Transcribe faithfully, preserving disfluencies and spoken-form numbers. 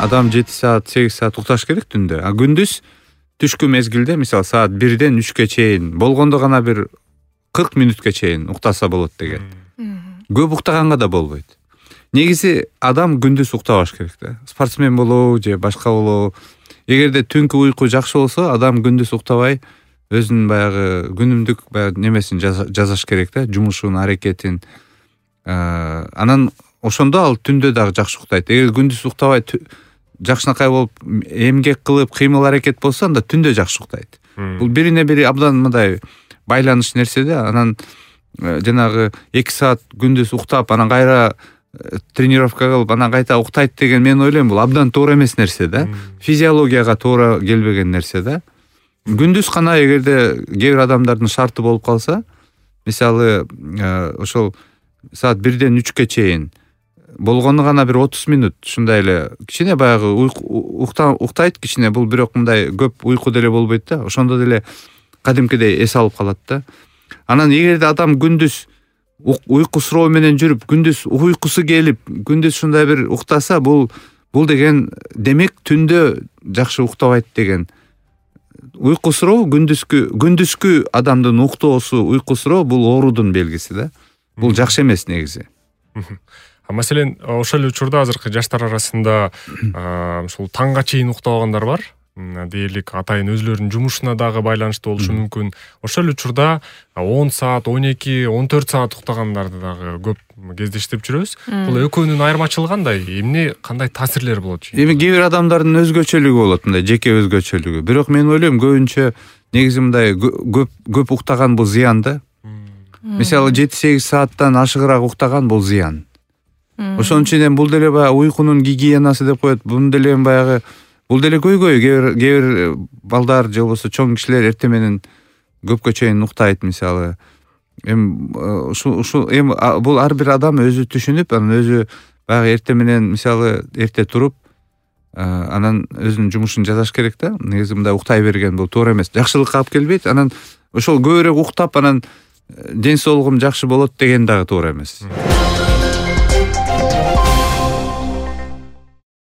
адам жети саат сегиз саат укташ керек түндө. А күндүз түшкү мезгилде мисалы саат бирден үчкө чейин болгондо гана бир кырк мүнөткө чейин уктаса болот деген. Көп уктаганга да болбойт. Негизи адам күндүз уктабаш керек да. Спортсмен болобу же башка болобу. Эгерде түнкү уйку жакшы болсо, адам күндүз уктабай өзүнүн баягы күнүмдүк баягы немесин жасаш керек да, жумушун, аракетин. Анан ошондо ал түндө дагы жакшы уктайт. Эгер күндүз уктабай жакшынакай болуп, эмгек кылып, кыймыл аракет болсо, анда түндө жакшы уктайт. Бул бирине бири абдан мындай байланыш нерсе да. Анан жанагы эки саат күндүз уктап, анан кайра тренировка кылып, анан кайта уктайт деген мен ойлойм, бул абдан туура эмес нерсе да. Физиологияга туура келбеген нерсе да. Күндүз гана эгерде кээ бир адамдардын шарты болуп калса, мисалы ошол саат бирден үчкө чейин болгону гана бир отуз мүнөт ушундай эле кичине баягы уктайт кичине, бул бирок мындай көп уйку деле болбойт да. Ошондо деле кадимкидей эс алып калат да. Анан эгерде адам күндүз уйку суроо менен жүрүп, күндүз уйкусу келип, күндүз ушундай бир уктаса, бул бул деген демек түндө жакшы уктабайт деген. Уйку суроо күндүзкү күндүзкү адамдын уктоосу, уйку суроо бул оорудун белгиси да. Бул жакшы эмес негизи. А маселен, ошол эле учурда азыркы жаштар арасында ушул таңга чейин уктабагандар бар. Дейлик атайын өзлөрүнүн жумушуна дагы байланыштуу болушу мүмкүн. Ошол учурда он саат, он эки, он төрт саат уктагандарды дагы көп кездештирип жүрөбүз. Бул экөөнүн айырмачылыгы кандай? Эмне кандай таасирлери болот? Эми кээ бир адамдардын өзгөчөлүгү болот, мындай жеке өзгөчөлүгү. Бирок мен ойлойм, көбүнчө негизи мындай көп көп уктаган бул зыян да. Мисалы жети сегиз сааттан ашыгыраак уктаган бул зыян. Ошон үчүн бул деле баягы уйкунун гигиенасы деп коет. Бул деле баягы бул деле көйгөй. Кээ бир балдар же болбосо чоң кишилер эртең менен көпкө чейин уктайт мисалы. Эми ушу ушу эми бул ар бир адам өзү түшүнүп, анан өзү баягы эртең менен мисалы эрте туруп, анан өзүнүн жумушун жасаш керек да. Негизи мындай уктай берген бул туура эмес. Жакшылыкка алып келбейт. Анан ошол көбүрөөк уктап, анан ден соолугум жакшы болот деген дагы туура эмес.